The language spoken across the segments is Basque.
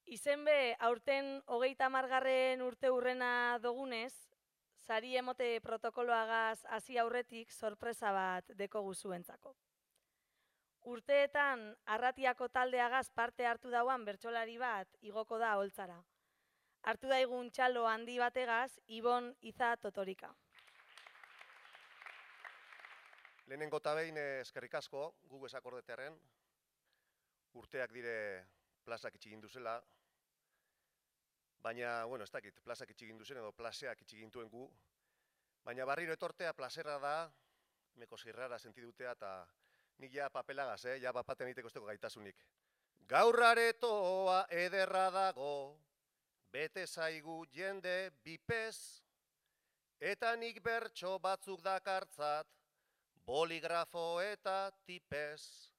Izenbe, aurten 30. urte hurrena dogunez, sari emote protokoloagaz hasi aurretik sorpresa bat dekogu zuentzako. Urteetan, arratiako taldeagaz parte hartu dauan bertsolari bat igoko da aholtzara. Hartu daigun txalo handi bategaz, Ibon Iza Totorika. Lehenengo eta behin eskerrik asko, gu esakordetearen, urteak dire plazak itxigin duzela, baina, ez dakit, plazak itxigin duzen edo plazeak itxigin duen gu, baina barriro etortea plazerra da, meko zirrara sentidutea eta nik ja papelagaz, ja bapaten egiteko esteko gaitasunik. Gaur aretoa ederra dago, bete zaigu jende bipez, eta nik bertso batzuk dakartzat, boligrafo eta tipez.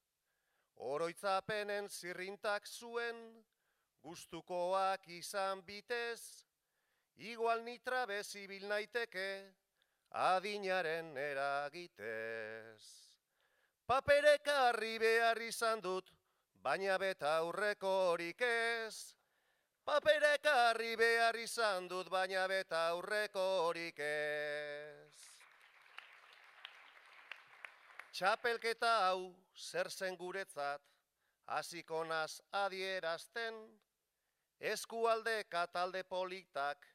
Oroitzapenen zirrintak zuen, gustukoak izan bitez, igual nitra bezibil naiteke, adinaren eragitez. Paperek harri behar izan dut, baina beta aurrekorik ez. Paperek harri behar izan dut, baina beta aurrekorik ez. Txapelketa hau zer zen guretzat, hasiko naz adierazten, eskualde katalde politak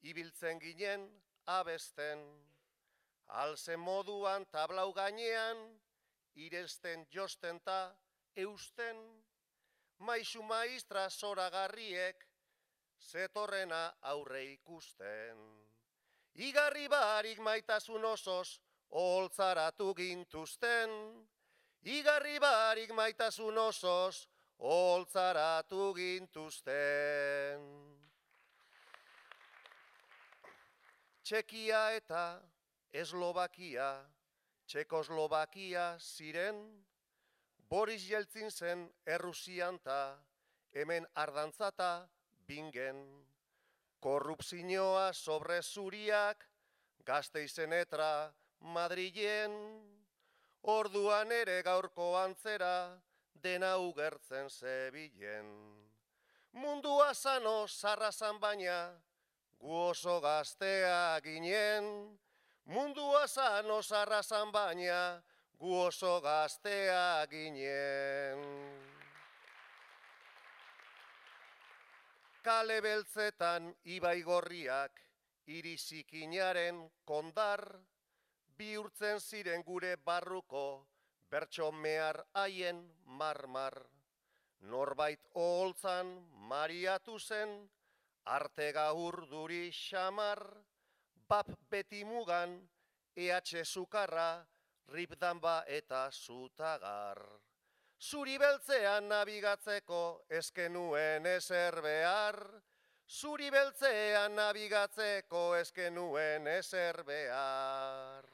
ibiltzen ginen abesten. Alzen moduan tablau gainean, iresten josten ta eusten, maisu maistra zoragarriek zetorrena aurre ikusten. Igarri barik maitasun osoz, oholtzaratu gintuzten, igarri barik maitasun osoz, oholtzaratu gintuzten. Txekia eta Eslovakia, Txekoslovakia ziren, Boris Jeltzin zen Errusian ta, hemen ardantzata bingen. Korrupzioa sobre zuriak, Gasteizen etra Madrilen, orduan ere gaurko antzera, dena ugertzen zebilen. Mundua zano zarrazan baina, gu oso gaztea ginen. Mundua zano zarrazan baina, gu oso gaztea ginen. Kale beltzetan ibai gorriak, irizikinaren kondar, bihurtzen ziren gure barruko, bertso mehar haien marmar. Norbait oholtzan mariatu zen, arte gaur duri xamar, bap beti mugan, EH sukarra, ripdanba eta zutagar. Zuri beltzean nabigatzeko eskenuen ezer behar, zuri beltzean nabigatzeko eskenuen ezer behar.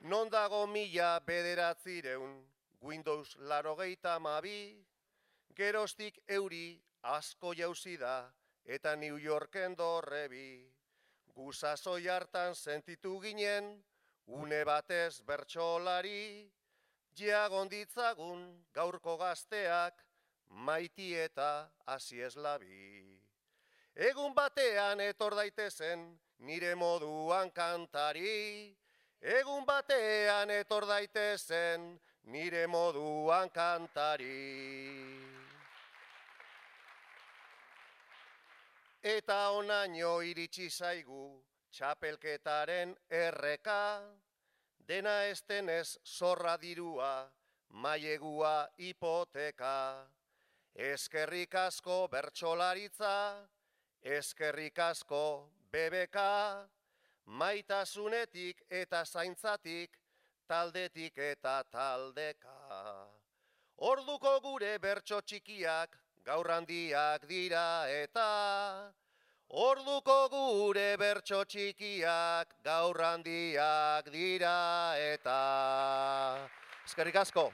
Non dago 1900, Windows 92, geroztik euri asko jauzi da, eta New Yorken dorrebi. Gu sasoi hartan sentitu ginen, une batez bertsolari, jagonditzagun gaurko gazteak, maiti eta hasi eslabi. Egun batean etor daitezen, nire moduan kantari, egun batean etor daitezen, nire moduan kantari. Eta onaino iritsi zaigu, txapelketaren erreka, dena estenez zorra dirua, mailegua hipoteka. Eskerrik asko bertsolaritza, eskerrik asko BBK, maitasunetik eta zaintzatik, taldetik eta taldeka. Orduko gure bertso txikiak, gaur handiak dira eta, orduko gure bertso txikiak, gaur handiak dira eta. Eskerrik asko.